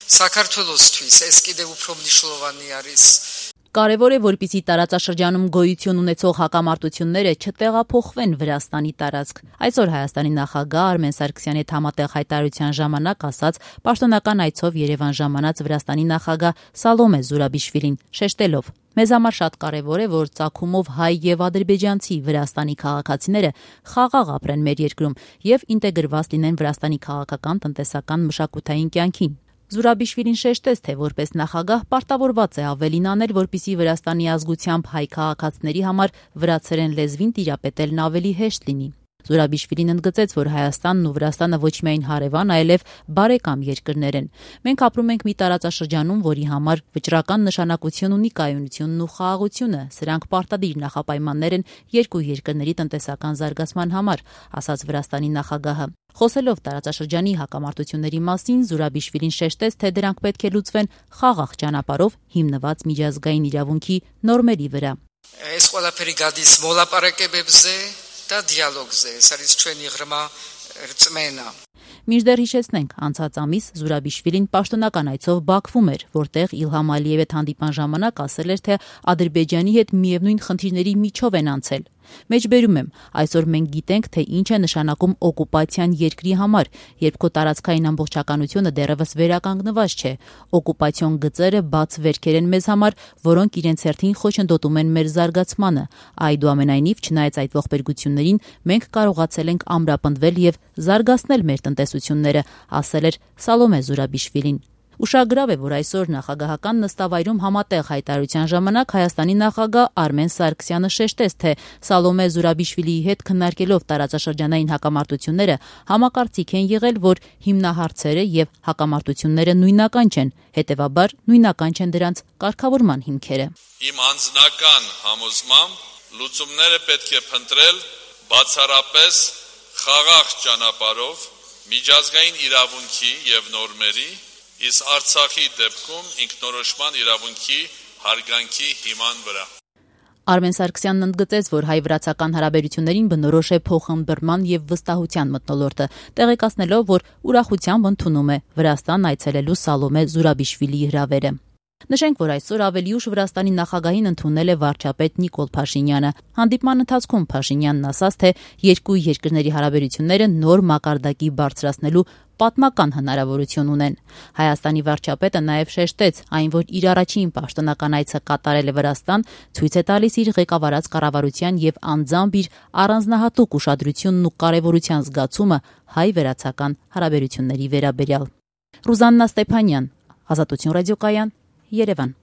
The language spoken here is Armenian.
Սակարթոլոսთვის էս კიდեւ უფრო մնիշլովանի արիս Կարևոր է, որպեսզի տարածաշրջանում գոյություն ունեցող հակամարտությունները չտեղափոխվեն Վրաստանի տարածք։ Այսօր Հայաստանի նախագահ Արմեն Սարգսյանի հետ համատեղ հայտարարության ժամանակ ասաց պաշտոնական այցով Երևան ժամանած Վրաստանի նախագահ Սալոմե Զուրաբիշվիլին, շեշտելով. Մեզ համար շատ կարևոր է, որ ծագումով հայ եւ ադրբեջանցի Վրաստանի քաղաքացիները խաղաղ ապրեն մեր երկրում եւ ինտեգրված լինեն Վրաստանի քաղաքական, տնտեսական, մշակութային կյանքին։ Զուրաբիշվիլին շեշտեց, թե որպես նախագահ պարտավորված է ավելին անել, որպեսզի Վրաստանի ազգությամբ հայ քաղաքացիների համար վրացերեն լեզվին տիրապետելն ավելի հեշտ լինի։ Զուրաբիշվիլին ընդգծեց, որ Հայաստանն ու Վրաստանը ոչ միայն հարևան, այլև բարեկամ երկրներ են։ Մենք ապրում ենք մի տարածաշրջանում, որի համար վճռական նշանակություն ունի կայունությունն ու խաղաղությունը։ Սրանք պարտադիր նախապայմաններ են երկու երկրների տնտեսական զարգացման համար, ասաց Վրաստանի նախագահը։ Խոսելով տարածաշրջանի հակամարտությունների մասին, Զուրաբիշվիլին շեշտեց, թե դրանք պետք է լուծվեն խաղաղ ճանապարհով հիմնված միջազգային իրավունքի նորմերի վրա։ Այս ყველაფერი գադիս մոլապարակեբեբզ է, դա դիալոգ է, սարից չեն იღրմա ռծմենա։ Մինչդեռ հիշեցնենք, անցած ամիս Զուրաբիշվիլին պաշտոնական այցով Բաքվում էր, որտեղ Իլհամ Ալիևի հետ հանդիպման ժամանակ ասել էր, թե Ադրբեջանի հետ միևնույն խնդիրների միջով են անցել։ Մեջբերում եմ, այսօր մենք գիտենք, թե ինչ է նշանակում օկուպացիան երկրի համար, երբ քո տարածքային ամբողջականությունը դեռևս վերականգնված չէ։ Օկուպացիոն գծերը բաց վերքեր են մեզ համար, որոնք իրենց հերթին խոչընդոտում են մեր զարգացմանը։ Այդուամենայնիվ, չնայած այդ ողբերգություններին, մենք կարողացել ենք ամրապնդվել եւ զարգացնել մեր տնտեսությունները, ասել էր Սալոմե Զուրաբիշվիլին։ Ուշագրավ է, որ այսօր նախագահական նստավայրում համատեղ հայտարարության ժամանակ Հայաստանի նախագահ Արմեն Սարգսյանը շեշտեց, թե Սալոմե Զուրաբիշվիլիի հետ քննարկելով տարածաշրջանային հակամարտությունները համակարծիք են եղել, որ հիմնահարցերը եւ հակամարտությունները նույնական չեն, հետեւաբար նույնական չեն դրանց կարգավորման հիմքերը։ Իմ անձնական համոզմամբ լուծումները պետք է փնտրել բացառապես խաղաղ ճանապարհով միջազգային իրավունքի եւ նորմերի Իսկ Արցախի դեպքում ինքնորոշման իրավունքի հարգանքի հիման վրա։ Արմեն Սարգսյանն ընդգծեց, որ հայ-վրացական հարաբերություններին բնորոշ է փոխըմբռնման եւ վստահության մթնոլորտը, տեղեկացնելով, որ ուրախությամբ ընդունում է Վրաստան այցելելու Սալոմե Զուրաբիշվիլիի հրավերը։ Նշենք, որ այսօր ավելի ուշ Վրաստանի նախագահին ընդունել է վարչապետ Նիկոլ Փաշինյանը։ Հանդիպման ընթացքում Փաշինյանն ասաց, թե երկու երկրների հարաբերությունները նոր մակարդակի բարձրացնելու պատմական հնարավորություն ունեն։ Հայաստանի վարչապետը նաև շեշտեց, այն որ իր առաջին պաշտոնական այցը կատարել է Վրաստան, ցույց է տալիս իր ղեկավարած կառավարության եւ անձամբ իր առանձնահատուկ ուշադրությունն ու կարեւորության զգացումը հայ-վրացական հարաբերությունների վերաբերյալ։ Ռուզաննա Ստեփանյան, Ազատություն ռադիոկայան, Երևան։